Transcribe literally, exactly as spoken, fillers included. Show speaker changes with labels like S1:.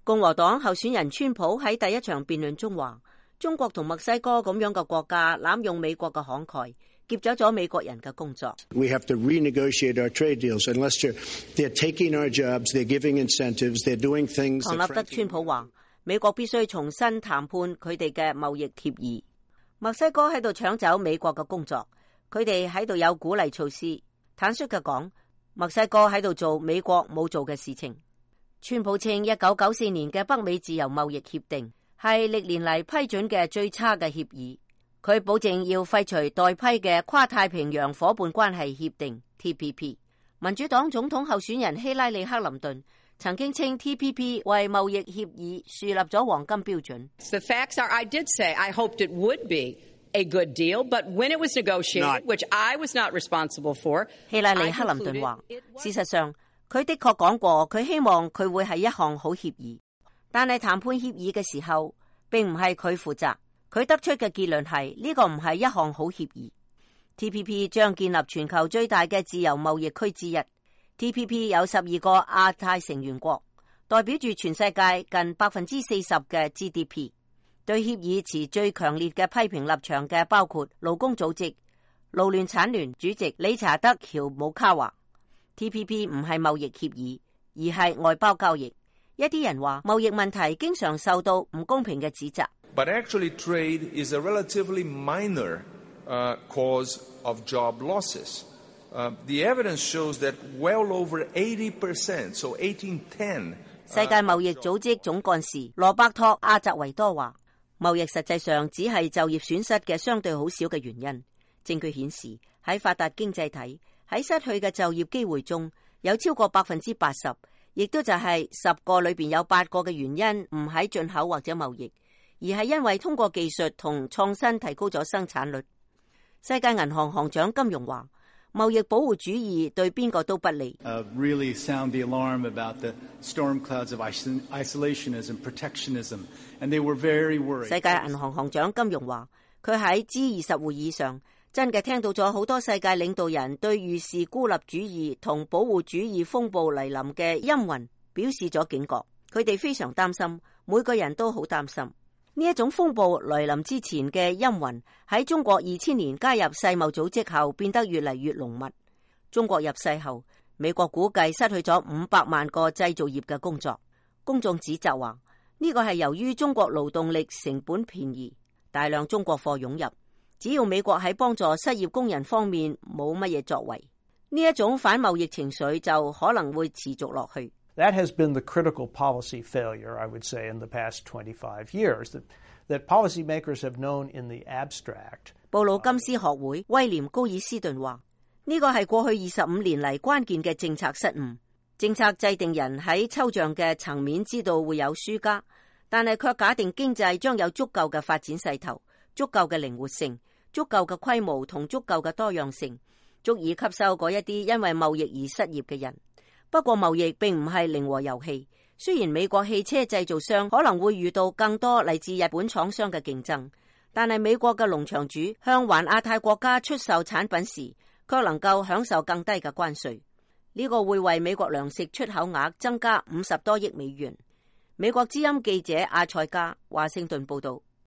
S1: 共和黨候選人川普喺第一場辯論中話，中國同墨西哥咁樣嘅國家濫用美國嘅慷慨，劫走咗美國人嘅工作。
S2: We have to renegotiate our trade deals unless they're, they're taking our jobs, they're giving incentives, they're doing things.
S1: 唐納德川普話，美國必須重新談判佢哋嘅貿易協議。墨西哥喺度搶走美國嘅工作，佢哋喺度有鼓勵措施。坦率嘅講，墨西哥喺度做美國冇做嘅事情。川普稱一九九四年嘅北美自由貿易協定係歷年嚟批准嘅最差嘅協議。佢保證要廢除待批嘅跨太平洋夥伴關係協定 T P P。民主黨總統候選人希拉里克林頓曾經稱 T P P 為貿易協議樹立咗黃金標準。
S3: The facts are, I did say I hoped it would be a good deal, but when it was negotiated, which I was not responsible for,
S1: 希拉里克林頓話，事實上佢的確講過，佢希望佢會係一項好協議，但係談判協議嘅時候，並唔係佢負責。佢得出嘅結論係呢個唔係一項好協議。T P P 將建立全球最大嘅自由貿易區之一。T P P 有十二個亞太成員國，代表住全世界近百分之四十嘅 G D P。對協議持最強烈嘅批評立場嘅包括勞工組織勞聯產聯主席理查德喬姆卡話。T P P 唔係貿易協議，而係外包交易。一啲人話貿易問題經常受到唔公平嘅指責。
S4: But actually, trade is a relatively minor uh, cause of job losses. Uh, the evidence shows that well over eighty percent, so eighteen ten.
S1: 世界貿易組織總幹事羅伯托·阿澤維多話，貿易實際上只係就業損失嘅相對好少嘅原因。證據顯示喺發達經濟體，喺失去嘅就業機會中，有超過百分之八十，亦都就係十個裏邊有八個嘅原因唔喺進口或者貿易，而係因為通過技術同創新提高咗生產率。世界銀行行長金融話，貿易保護主義對邊個都不利。
S5: Uh, really sound the alarm about the storm clouds of isolationism, protectionism, and they were very worried.
S1: 世界銀行行長金融話，佢喺 G 二十會議上真嘅聽到咗好多世界領導人對預示孤立主義同保護主義風暴嚟臨嘅陰雲表示咗警覺。佢哋非常擔心，每個人都好擔心呢一種風暴來臨之前嘅陰雲喺中國二千年加入世貿組織後變得越嚟越濃密。中國入世後，美國估計失去咗五百萬個製造業嘅工作。公眾指責話呢個係由於中國勞動力成本便宜，大量中國貨湧入。只要美國喺幫助失業工人方面冇乜嘢作為，呢一種反貿易情緒就可能會持續落去。
S6: That has been the critical policy failure, I would say, in the past twenty-five years, that, that policymakers have known in the abstract.
S1: 布魯金斯學會威廉高爾斯頓話，呢個係過去二十五年嚟關鍵嘅政策失誤。政策制定人喺抽象嘅層面知道會有輸家，但係卻假定經濟將有足夠嘅發展勢頭、足夠嘅靈活性、足夠嘅規模同足夠嘅多樣性，足以吸收嗰一啲因為貿易而失業嘅人。不過貿易並唔係零和遊戲，雖然美國汽車製造商可能會遇到更多嚟自日本廠商嘅競爭，但係美國嘅農場主向環亞太國家出售產品時，卻能夠享受更低嘅關稅。呢個會為美國糧食出口額增加五十多億美元。美國之音記者阿塞加華盛頓報道。